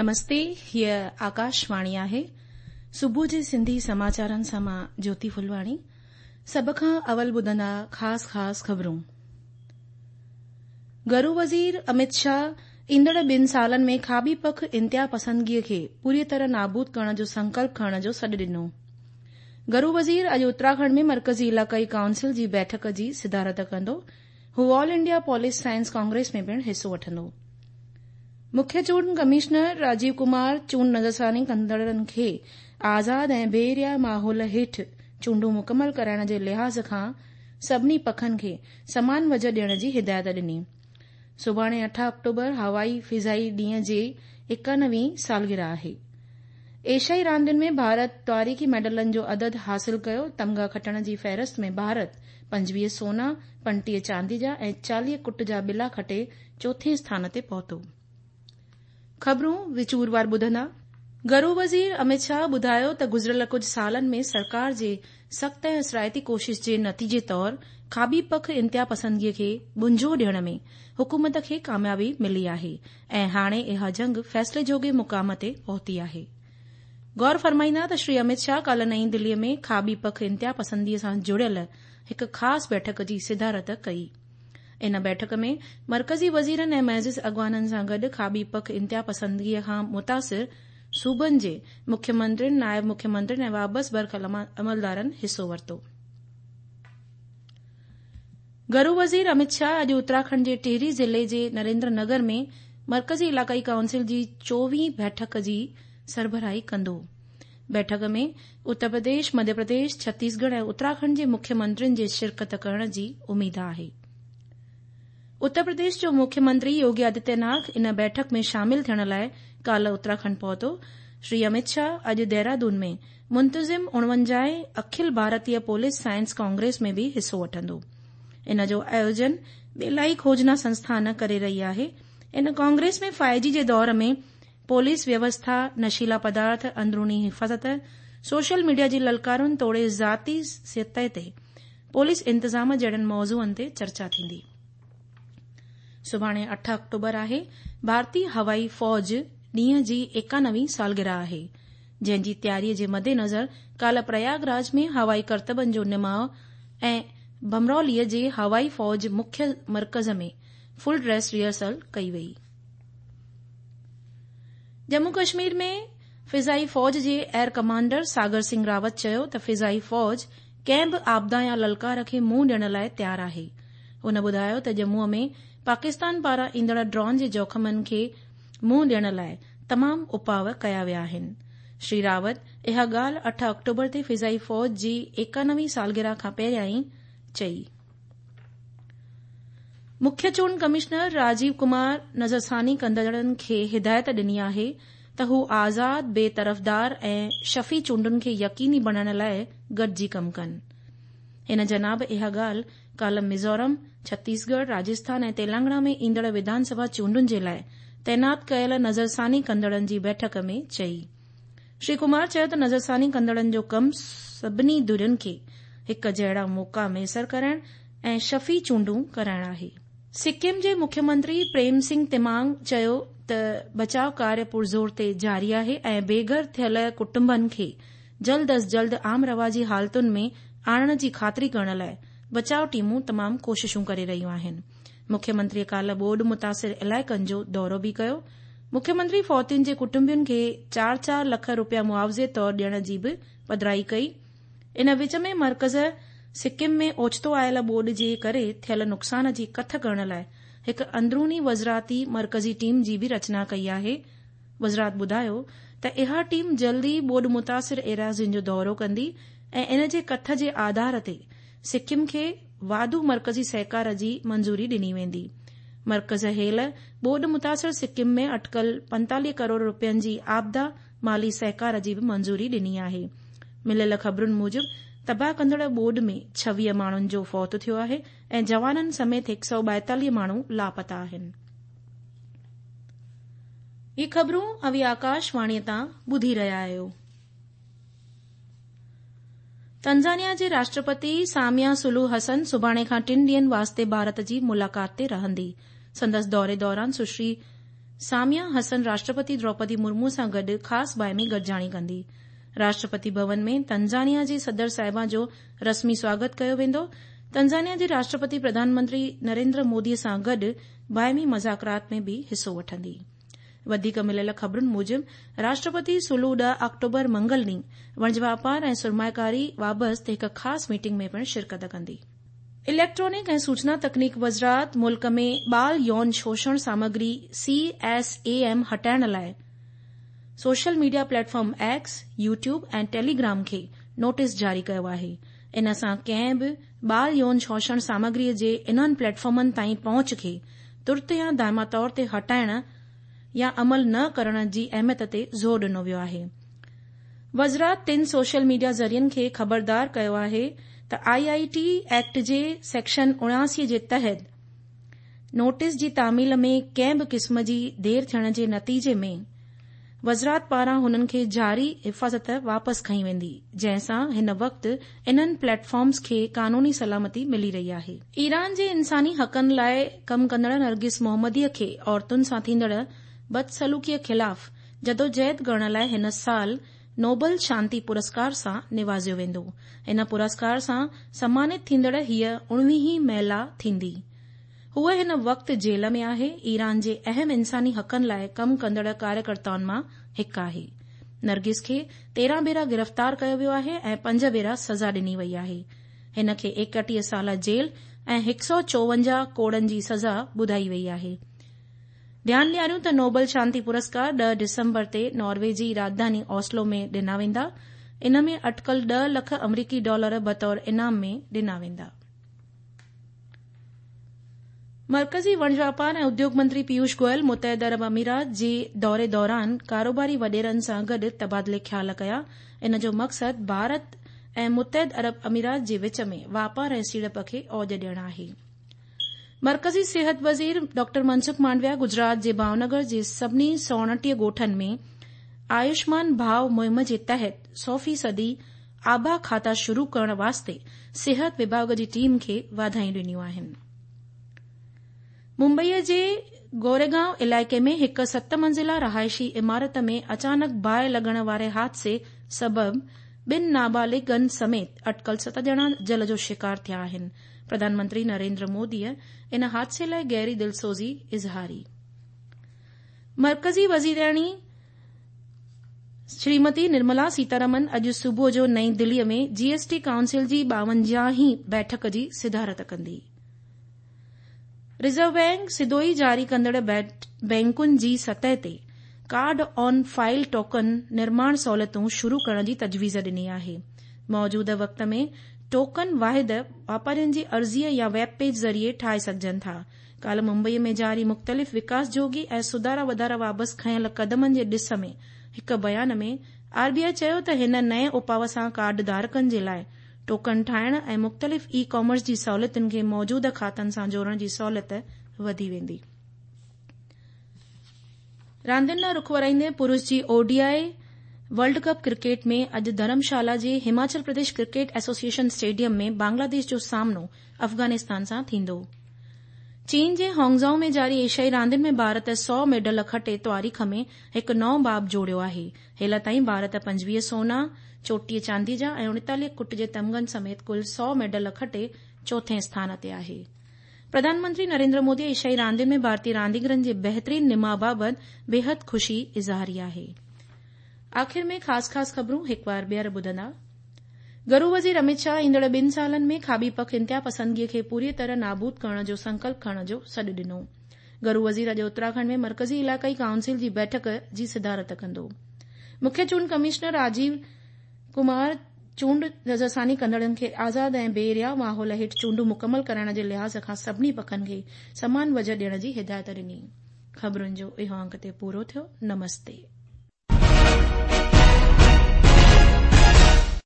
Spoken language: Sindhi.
نمستي هيء آڪاشواڻي آهي. صبح جي سنڌي سماچارن سان مان جوتي ڦلواڻي. سڀ کان اول ٻڌندا خاص خاص خبرون. گهرو وزير امت شاهه ايندڙ ٻن سالن ۾ کاٻي پک انتها پسندگيء کي پوريء طرح نابود ڪرڻ جو سنڪلپ کڻڻ جو سڏ ڏنو. گهرو وزير اڄ اتراکنڊ ۾ مرڪزي علائقائي ڪائونسل جي بيٺڪ جي صدارت ڪندو. هو all India police science congress ۾ پڻ حصو وٺندو. مکيه چونڊ ڪمشنر راجيو ڪمار چونڊ نظرثاني ڪندڙن کي آزاد ۽ بي ريا ماحول هيٺ چونڊون مڪمل ڪرائڻ جي لحاظ کان سڀني پکن کي سمان وجهه ڏيڻ جي هدايت ڏني. سڀاڻي اٺ آڪٽوبر هوائي فضائي ڏينهن جي ايڪانوي سالگرهه آهي. ايشيائي راندين ۾ ڀارت تاريخي ميڊلن جو عدد حاصل ڪيو، تمغا کٽڻ جي فهرست ۾ ڀارت 25 سونا، 35 چاندي جا ۽ 40 ڪٽ جا ٻلا کٽي چوٿين اسٿان تي پهتو. خبرون وچوروار ٻڌندا. گهرو وزير امت شاهه ٻڌايو ته گذريل ڪجهه سالن ۾ سرڪار جي سخت ۽ اثرائتي ڪوشش جي نتيجي طور کاٻي پک انتها پسندگي کي ٻنجو ڏيڻ ۾ حڪومت کي ڪاميابي ملي آهي ۽ هاڻي اها جنگ فيصلي جوڳي مقام تي پهتي آهي. غور فرمائيندا ته شري امت شاهه ڪالهه نئين دلي ۾ کاٻي پک انتها پسندي سان جڙيل هڪ خاص بيٺڪ جي صدارت ڪئي. ان بيٺڪ ۾ مرڪزي وزيرن ۽ معزز اڳواڻن سان گڏ کاٻي پک انتها پسندگي کان متاثر صوبن جي مکيه منترين، نائب مکيه منترين ۽ وابسته برک عملدارن حصو ورتو. گهرو وزير امت شاهه اڄ اتراکنڊ جي ٽهري ضلعي جي نريندر نگر ۾ مرڪزي علائقائي ڪائونسل جي چوويهين بيٺڪ جي سربراهي ڪندو. بيٺڪ ۾ اتر پرديش، مڌيه پرديش، ڇتيسڳڙهه ۽ اتراکنڊ جي مکيه منترين جي شرڪت ڪرڻ جي اميد آهي. اتر پرديش جو مکيه منتري يوگي آدتيه ناٿ ان بيٺڪ ۾ شامل ٿيڻ لاء ڪالهه اتراکنڊ پهتو. شري امت شاهه اڄ ديرادون ۾ منتظم اڻونجاهين اکل ڀارتيه پوليس سائنس ڪانگريس ۾ به حصو وٺندو. ان جو آيوجن ٻيلائي کوجنا سنسٿان ڪري رهي آهي. ان ڪانگريس ۾ فائيو جي جي دور ۾ پوليس ويوسٿا، نشيلا پدارٿ، اندروني حفاظت، سوشل ميڊيا جي للڪارن توڙي ذاتي سطح تي پوليس انتظام جهڙن موضوعن تي چرچا ٿيندي. سڀاڻي اٺ آڪٽوبر آهي، ڀارتي هوائي فوج ڏينهن جي ايڪانوي سالگرهه آهي، جنهن جي تياري جي مدنظر ڪالهه پرياگ راج ۾ هوائي ڪرتبن جو نماء ۽ بمرولي جي هوائي فوج مکيه مرڪز ۾ فل ڊريس ريهرسل ڪئي وئي. ڄمون ڪشمير ۾ فضائي فوج جي ايئر ڪمانڊر ساگر سنگهه راوت چيو ته فضائي فوج ڪنهن به آپدا يا للڪار کي منهن ڏيڻ لاء تيار آهي. هن ٻڌايو ته ڄمون ۾ پاڪستان پاران ايندڙ ڊرون جي جوکمن کي منهن ڏيڻ لاء تمام اپاء ڪيا ويا آهن. شري راوت اها ڳالهه اٺ آڪٽوبر تي فضائي فوج جي ايڪانوي سالگرهه کان پهريائين چئي. مکيه چونڊ ڪمشنر راجيو ڪمار نظرثاني ڪندڙن کي هدايت ڏني آهي ته هو آزاد، بي طرفدار ۽ شفي چونڊن کي يقيني بڻائڻ لاء گڏجي ڪم ڪن. هن جناب اها ڳالهه ڪالهه ميزورم، ڇتيسڳڙهه، راجسٿان ۽ تيلنگانا ۾ ايندڙ وڌان سڀا چونڊن جي لاء تعينات ڪيل نظرثاني ڪندڙن جي بيٺڪ ۾ چئي. شري ڪمار چيو ته نظرثاني ڪندڙن جو ڪم سڀني ڌرين کي هڪ جهڙا موقعا ميسر ڪرائڻ ۽ شفي چونڊون ڪرائڻ آهي. سڪم جي مکيه منتري پريم سنگهه تمانگ چيو ته بچاء ڪاريه پرزور تي جاري آهي ۽ بي گهر ٿيل ڪٽنبن کي جلد از جلد عام رواجي حالتن ۾ آڻڻ جي خاطري ڪرڻ لاء بچاء ٽيمون تمام ڪوششون ڪري رهيون آهن. مکيه منتري ڪالهه ٻوڏ متاثر علائقن جو دورو به ڪيو. مکيه منتري فوتين جي ڪٽنبن کي چار چار لک روپيا معاوضي طور ڏيڻ جي به پڌرائي ڪئي. ان وچ ۾ مرڪز سڪم ۾ اوچتو آيل ٻوڏ جي ڪري ٿيل نقصان جي ڪٿ ڪرڻ لاء هڪ اندروني وزراتي مرڪزي ٽيم جي به رچنا ڪئي آهي. وزرات ٻڌايو ته اها ٽيم جلد ئي ٻوڏ متاثر ايراضين جو دورو ڪندي ۽ ان جي ڪٿ جي آڌار تي سڪم کي واڌو مرڪزي سهڪار جي منظوري ڏني ويندي. مرڪز هيل ٻوڏ متاثر سڪم ۾ اٽڪل 45 ڪروڙ روپين جي آپدا مالي سهڪار جي به منظوري ڏني آهي. مليل خبرن موجب تباهه ڪندڙ ٻوڏ ۾ 26 ماڻهن جو فوت ٿيو آهي ۽ جوانن سميت 142 ماڻهو لاپتا آهن. هي خبرون اوهين آڪاش واڻي تان ٻڌي رهيا آهيو. تنزانيا جي راشٽرپتي ساميا سلوح حسن سڀاڻي کان ٽن ڏينهن واسطي ڀارت جي ملاقات تي رهندي. سندس دوري دوران سشري ساميا حسن راشٽرپتي دروپدي مرمو سان گڏ خاص باهمي گڏجاڻي ڪندي. راشٽرپتي ڀون ۾ تنزانيا جي صدر صاحبه جو رسمي سواگت ڪيو ويندو. تنزانيا جي راشٽرپتي پرڌان منتري نريندر مودي سان گڏ باهمي مذاڪرات ۾ به حصو وٺندي. وڌيڪ مليل خبرن موجب راشٽرپتي سولو 10 آڪٽوبر منگل ڏينهن وڻج واپار ۽ سرمائيڪاري وابست هڪ خاص ميٽنگ ۾ پڻ شرڪت ڪندي. اليڪٽرانڪ ۽ سوچنا تڪنيڪ وزارت ملڪ ۾ ٻال يون شوشڻ سامگري سي ايس اي ايم هٽائڻ لاء social media platform X, YouTube ۽ Telegram کي نوٽيس جاري ڪيو آهي. ان سان ڪنهن به ٻال يون شوشڻ سامگري جي انهن پليٽ فارمن تائين پهچ کي ترت يا دائما طور تي هٽائڻ يا عمل نه ڪرڻ جي اهميت تي زور ڏنو ويو آهي. وزارت ٽن سوشل ميڊيا ذريعن کي خبردار ڪيو آهي ته آء آء ٽي ايڪٽ جي سيڪشن 79 جي تحت نوٽيس جي تعميل ۾ ڪنهن به قسم جي دير ٿيڻ جي نتيجي ۾ وزارت پاران هنن کي جاري حفاظت واپس کنئي ويندي، جنهن سان هن وقت انهن پليٽ فارمز کي قانوني سلامتي ملي رهي آهي. ايران جي انساني حقن لاء ڪم ڪندڙ نرگس محمدي کي عورتن سان ٿيندڙ بدسلوڪي خلاف جدوجهد ڪرڻ لاء هن سال نوبل شانتي پرسڪار سان نوازيو ويندو. هن پرسڪار سان سمانت ٿيندڙ هيء اڻويهين مهلا ٿيندي. هوء هن وقت جيل ۾ آهي، ايران جي اهم انساني حقن لاء ڪم ڪندڙ ڪاريڪرتائن مان هڪ آهي. نرگس کي 13 ڀيرا گرفتار ڪيو ويو آهي ۽ پنج ڀيرا سزا ڏني وئي آهي. هن کي 31 سال جيل ۽ 154 ڪوڙن جي سزا ٻڌائي وئي آهي. ڌيان ڏياريون ته نوبل شانتي پرسڪار 10 ڊسمبر تي ناروي جي راڄڌاني اوسلو ۾ ڏنا ويندا. ان ۾ اٽڪل 10 لک آمريڪي ڊالر بطور انعام ۾ ڏنا ويندا. مرڪزي وڻج واپار ۽ اديوگ منتري پيوش گوئل متحده عرب امارات جي دوري دوران ڪاروباري وڏيرن سان گڏ تبادلي خيال ڪيا. ان جو مقصد ڀارت ۽ متحده عرب امارات جي وچ ۾ واپار ۽ سيڙپ کي اوج ڏيڻ آهي. مرڪزي صحت وزير ڊاڪٽر منسخ مانڊويا گجرات جي ڀاونگر جي سڀني 129 ڳوٺن ۾ آيوشمان ڀاو مهم جي تحت 100 فيصدي آبا کاتا شروع ڪرڻ واسطي صحت وڀاڳ جي ٽيم کي واڌايون ڏنيون آهن. ممبئي جي گوريگائون علائقي ۾ هڪ ست منزله رهائشي عمارت ۾ اچانڪ باهه لڳڻ واري حادثي سبب ٻن نابالغن سميت اٽڪل ست ڄڻا جل جو شڪار ٿيا آهن. پرڌان منتري نريندر مودي ان حادثي لاء گهري دلسوزي اظهاري. مرڪزي وزيرياڻي شريمتي نرملا سيتارامن اڄ صبح جو نئين دهلي ۾ جي ايس ٽي ڪائونسل جي 52 هين بيٺڪ جي صدارت ڪندي. رزرو بئنڪ سڌو ئي جاري ڪندڙ بئنڪن جي سطح تي ڪارڊ آن فائل ٽوڪن نرماڻ سهولتون شروع ڪرڻ جي تجويز ڏني آهي. موجوده وقت ۾ ٽوڪن واحد واپارين جي عرضي يا ويب پيج ذريعي ٺاهي سگهجن ٿا. ڪالهه ممبئي ۾ جاري مختلف وڪاس جوڳي ۽ سڌارا وڌارا وابست کنيل قدمن جي ڏس ۾ هڪ بيان ۾ آر بي آء چيو ته هن نئين اپاء سان ڪارڊ ڌارڪن جي لاء ٽوڪن ٺاهڻ ۽ مختلف اي ڪامرس جي سهولتن کي موجوده کاتن سان جوڙڻ جي سهولت وڌي ويندي. راندين ڏانهن رخ ورائيندي پرش جي O D I world cup cricket ۾ اڄ ڌرمشالا جي Himachal Pradesh cricket association stadium ۾ Bangladesh جو سامنو افغانستان سان ٿيندو. چين جي هانگزائو ۾ جاري ايشيائي راندين ۾ ڀارت 100 ميڊل کٽي تواريخ ۾ هڪ نئون باب جوڙيو آهي. هيل تائين ڀارت 25 سونا، 34 چاندي جا ۽ 39 ڪٽ جي تمغن سميت ڪل 100 ميڊل کٽي چوٿين اسٿان تي آهي. پرڌان منتري نريندر مودي ايشيائي راندين ۾ ڀارتي رانديگرن جي بهترين نماء بابت بيحد خوشي اظهاري آهي. آخر ۾ خاص خاص خبرون هڪ وار ٻيهر ٻڌندا. گهرو وزير اميت شاهه ايندڙ ٻن سالن ۾ کاٻي پک انتها پسندگي کي پوريء طرح نابود ڪرڻ جو سنڪلپ کڻڻ جو سڏ ڏنو. گهرو وزير اڄ اتراکنڊ ۾ مرڪزي علائقائي ڪائونسل جي بيٺڪ جي صدارت ڪندو. مکيه چونڊ ڪمشنر راجيو ڪمار چونڊ نظرثاني ڪندڙن کي آزاد ۽ بي رياء ماحول هيٺ چونڊون مڪمل ڪرائڻ جي لحاظ کان سڀني پکن کي سمان وجهه ڏيڻ جي هدايت ڏني. خبرن جو اهو انڪ اتي پورو ٿيو. نمستي.